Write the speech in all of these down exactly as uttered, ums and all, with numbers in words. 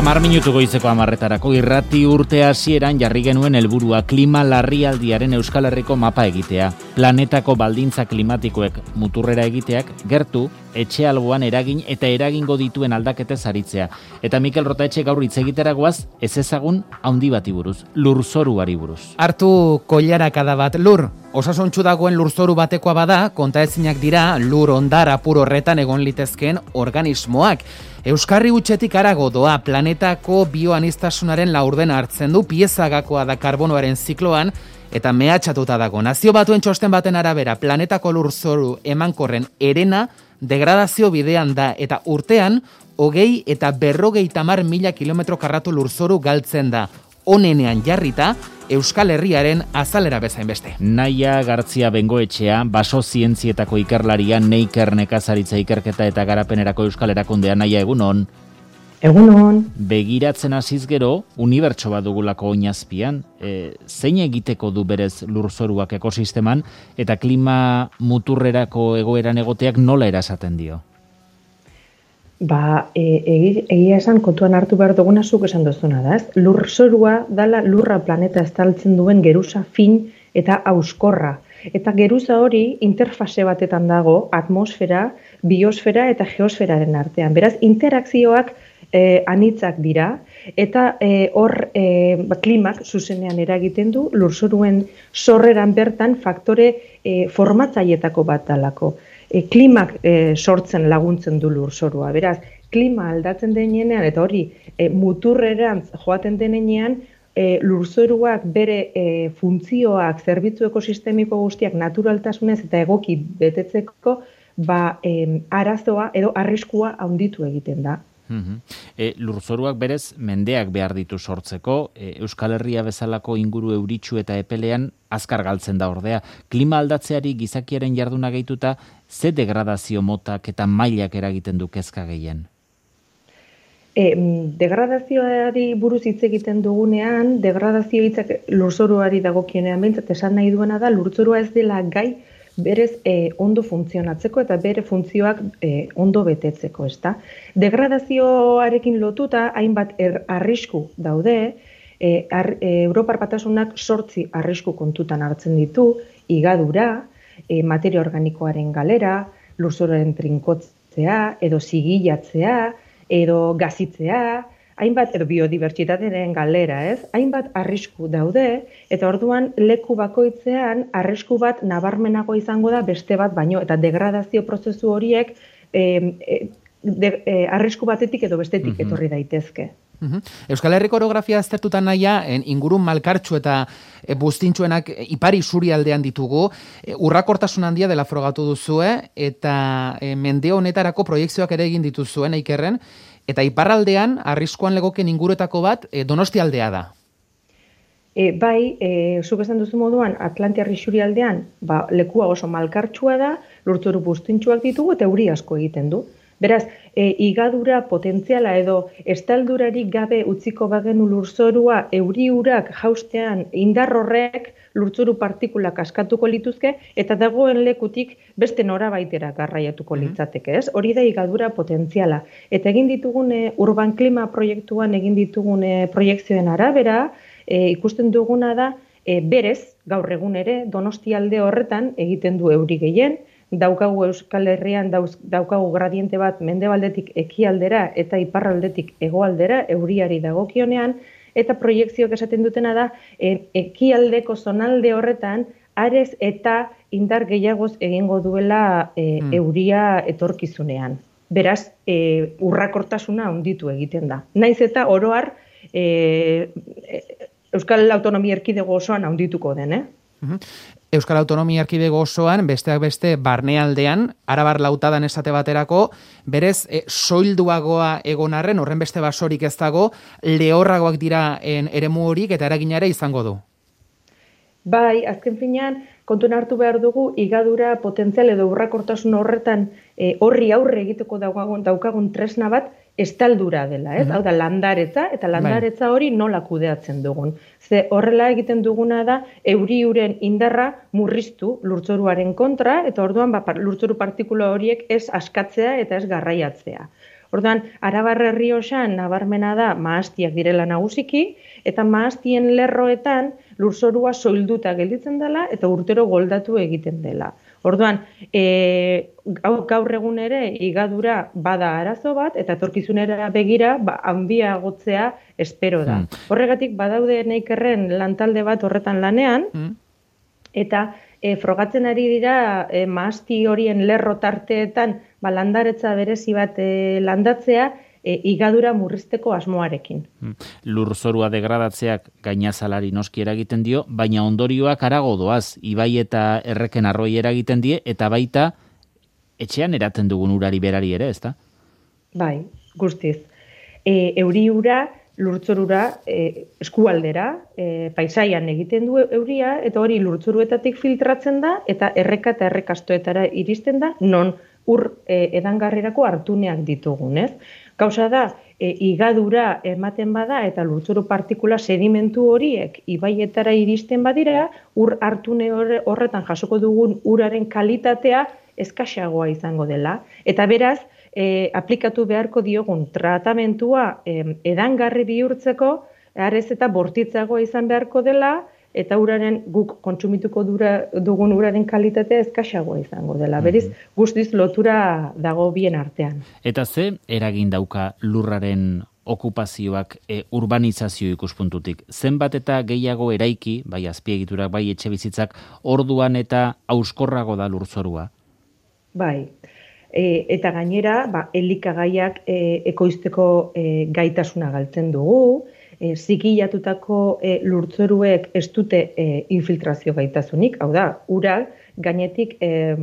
Hamar minutu goizeko hamarretarako irrati urte hasieran jarri genuen helburua klima larrialdiaren Euskal Herriko mapa egitea. Planetako baldintza klimatikoek muturrera egiteak gertu, etxe alboan eragin eta eragingo dituen aldaketez aritzea. Eta Mikel Rotaetxe gaur hitz egiteragoaz ez ezagun handi bati buruz, lurzoruari buruz. Hartu koilarakada bat lur. Osasuntsu dagoen lurzoru batekoa bada, kontaezinak dira lur ondar apur horretan egon litezkeen organismoak. Euskarri hutsetik harago doa planetako bioanistasunaren laurdena hartzen du, piezagakoa da karbonoaren zikloan eta mehatxatuta dago. Nazio Batuen txosten baten arabera planetako lurzoru emankorren herena degradazio bidean da eta urtean hogei eta berrogei tamar mila kilometro karratu lurzoru galtzen da. Onenean jarrita, Euskal Herriaren azalera bezain beste. Naia Gartzia Bengoetxea, baso zientzietako ikerlaria, Neiker nekazaritza ikerketa eta garapenerako Euskal Erakundea. Naia, egunon. Egunon. Begiratzen hasiz gero, unibertso bat dugulako oinazpian, e, zein egiteko du berez lurzoruak ekosisteman eta klima muturrerako egoeran egoteak nola erasaten dio? Ba, e, egia esan kontuan hartu behar duguna zuk esan duzuna da, ez? Lurzorua dala lurra planeta estaltzen duen geruza fin eta auskorra. Eta geruza hori interfase batetan dago atmosfera, biosfera eta geosferaren artean. Beraz, interakzioak e, anitzak dira eta e, hor e, ba, klimak zuzenean eragiten du lurzoruen sorreran bertan faktore e, formatzaietako bat dalako. E, klimak e, sortzen laguntzen du lurzorua. Beraz, klima aldatzen denean eta hori e, muturrerantz joaten denean, e, lurzoruak bere e, funtzioak, zerbitzu ekosistemiko guztiak naturaltasunez eta egoki betetzeko ba, e, arazoa edo arriskua handitu egiten da. Uhum. E, lurzoruak berez mendeak behar ditu sortzeko, e, Euskal Herria bezalako inguru euritsu eta epelean azkar galtzen da ordea. Klima aldatzeari gizakiaren jarduna gehituta, ze degradazio motak eta mailak eragiten du kezka gehien? E, degradazioari buruz hitz egiten dugunean, degradazio hitzak lurzoruari dagokionean behintzat esan nahi duena da, lurzorua ez dela gai berez e, ondo funtzionatzeko eta bere funtzioak e, ondo betetzeko, ezta? Degradazioarekin lotuta hainbat er, arrisku daude, e, ar, e, Europar Batasunak sortzi arrisku kontutan hartzen ditu, higadura, e, materia organikoaren galera, lurzoruaren trinkotzea, edo zigilatzea, edo gazitzea, hainbat, edo biodibertsitatearen galera, ez? Hainbat arrisku daude, eta orduan leku bakoitzean arrisku bat nabarmenago izango da beste bat baino, eta degradazio prozesu horiek e, e, de, e, arrisku batetik edo bestetik mm-hmm. etorri daitezke. Mm-hmm. Euskal Herriko orografia aztertutan naia, ingurun malkartsu eta e, buztintxuenak e, ipari suri aldean ditugu, e, urrakortasun handia dela frogatu duzue, eta e, mende honetarako proiekzioak ere egin dituzuen, Eikerren, eta iparraldean, arriskuan legoken inguruetako bat, e, Donosti aldea da. E, bai, e, zuk esan duzu moduan, Atlantiar isurialdean, ba, lekua oso malkartsua da, lurzoru buztintxuak ditugu eta euri asko egiten du. Beraz, e, higadura potentziala edo estaldurarik gabe utziko bagenu lurzorua euri urak jaustean indar horrek lurzoru partikulak askatuko lituzke eta dagoen lekutik beste norabaitera garraiatuko litzateke, ez? Hori da higadura potentziala. Eta egin ditugune urban klima proiektuan egin ditugune proiekzioen arabera, e, ikusten duguna da e, berez, gaur egun ere, Donosti alde horretan egiten du euri gehien, daukagu Euskal Herrian dauz, daukagu gradiente bat mendebaldetik ekialdera eta iparraldetik hegoaldera euriari dagokionean, eta proiekzioak esaten dutena da e, ekialdeko zonalde horretan arez eta indar gehiagoz egingo duela e, mm. euria etorkizunean. Beraz, e, urrakortasuna handitu egiten da. Naiz eta oroar e, Euskal Autonomia Erkidego osoan handituko den, eh? Euskal Autonomia Erkidego osoan, besteak beste barnealdean, Arabar Lautadan esate baterako, berez e, soilduagoa egon arren, horren beste basorik ez dago, lehorragoak dira en, eremu horik eta eraginare izango du. Bai, azken finean, kontuan hartu behar dugu, higadura potentzial edo urrakortasun horretan e, horri aurre egiteko daukagun, daukagun tresna bat, estaldura dela, ez? Mm-hmm. Hau da, landaretza, eta landaretza hori nola kudeatzen dugun. Ze horrela egiten duguna da, euriuren indarra murriztu lurtzoruaren kontra, eta orduan ba, lurtzoru partikula horiek ez askatzea eta ez garraiatzea. Orduan, Arabar Errioxan nabarmena da mahastiak direla nagusiki, eta mahastien lerroetan lurzorua soilduta gelditzen dela eta urtero goldatu egiten dela. Orduan, e, gaur egun ere higadura bada arazo bat, eta etorkizunera begira ba, handiagotzea espero da. Mm. Horregatik badaude neikerren lantalde bat horretan lanean, mm. eta e, frogatzen ari dira e, mahasti horien lerro tarteetan ba, landaretza berezi bat e, landatzea, E, higadura murrizteko asmoarekin. Lurzorua degradatzeak gainazalari noski eragiten dio, baina ondorioak harago doaz, ibai eta erreken arroi eragiten die, eta baita etxean eraten dugun urari berari ere, ezta? Bai, guztiz. E, euri ura, lurtzorura, e, eskualdera, e, paisaian egiten du euria, eta hori lurtzoruetatik filtratzen da, eta erreka eta errekastoetara iristen da, non ur e, edangarrirako hartuneak ditugun, ez? Gauza da, e, higadura ematen bada eta lurzoru partikula sedimentu horiek ibaietara iristen badira, ur hartune horretan jasoko dugun uraren kalitatea eskasagoa izango dela. Eta beraz, e, aplikatu beharko diogun tratamentua e, edangarri bihurtzeko, arez eta bortitzagoa izan beharko dela, eta uraren guk kontsumituko dura, dugun uraren kalitatea eskasagoa izango dela. Beriz, guztiz lotura dago bien artean. Eta ze eragin dauka lurraren okupazioak e, urbanizazio ikuspuntutik? Zenbat eta gehiago eraiki, bai azpiegiturak, bai etxe bizitzak, orduan eta auskorrago da lurzorua? Bai. E, eta gainera, ba, elikagaiak e, ekoizteko e, gaitasuna galtzen dugu, E, zigilatutako e, lurtzoruek ez dute e, infiltrazio gaitasunik, hau da, ura gainetik e,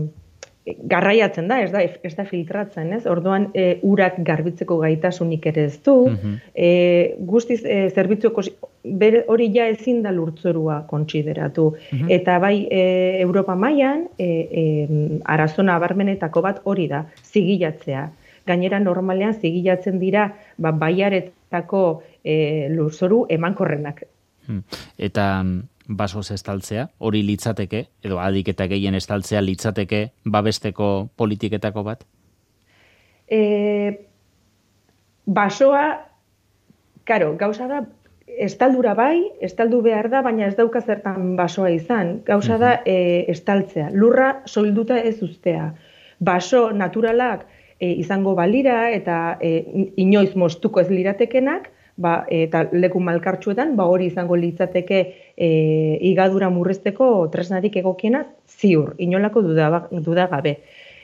garraiatzen da, ez da, ez da filtratzen, ez? Orduan e, urak garbitzeko gaitasunik ere ez du, mm-hmm. e, guztiz e, zerbitzuko hori ja ezin da lurtzorua kontsideratu. Mm-hmm. Eta bai e, Europa mailan e, e, arazona abarmenetako bat hori da, zigilatzea. Gainera normalean zigilatzen dira ba, baiaretako e, lurzoru emankorrenak. Eta basoz estaltzea, hori litzateke, edo adik eta gehien estaltzea litzateke babesteko politiketako bat? E, basoa, karo, gauza da, estaldura bai, estaldu behar da, baina ez dauka zertan basoa izan. Gauza da, e, estaltzea. Lurra soilduta ez uztea. Baso naturalak E, izango balira eta e, inoiz moztuko ez liratekenak, ba, eta leku malkartsuetan, ba, hori izango litzateke e, higadura murrizteko tresnarik egokiena ziur, inolako duda, duda gabe.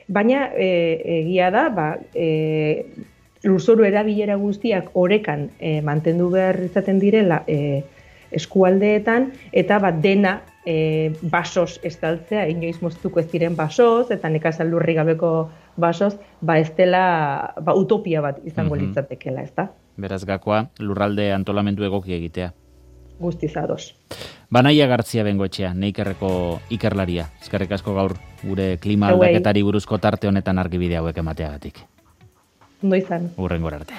Baina e, egia da, ba, e, lurzoru erabilera guztiak orekan e, mantendu behar izaten direla e, eskualdeetan, eta ba, dena e, basoz estaltzea, inoiz moztuko ez diren basoz, eta nekazal lurri gabeko basoz, ba ez dela ba, utopia bat izango mm-hmm. litzatekela, ez da? Beraz gakoa, lurralde antolamendu egoki egitea. Guztiz ados. Banaia Gartzia Bengoetxea, Neikerreko ikerlaria. Eskerrik asko gaur gure klima aldaketari buruzko tarte honetan argibide hauek emateagatik. Ondo izan. Hurrengora arte.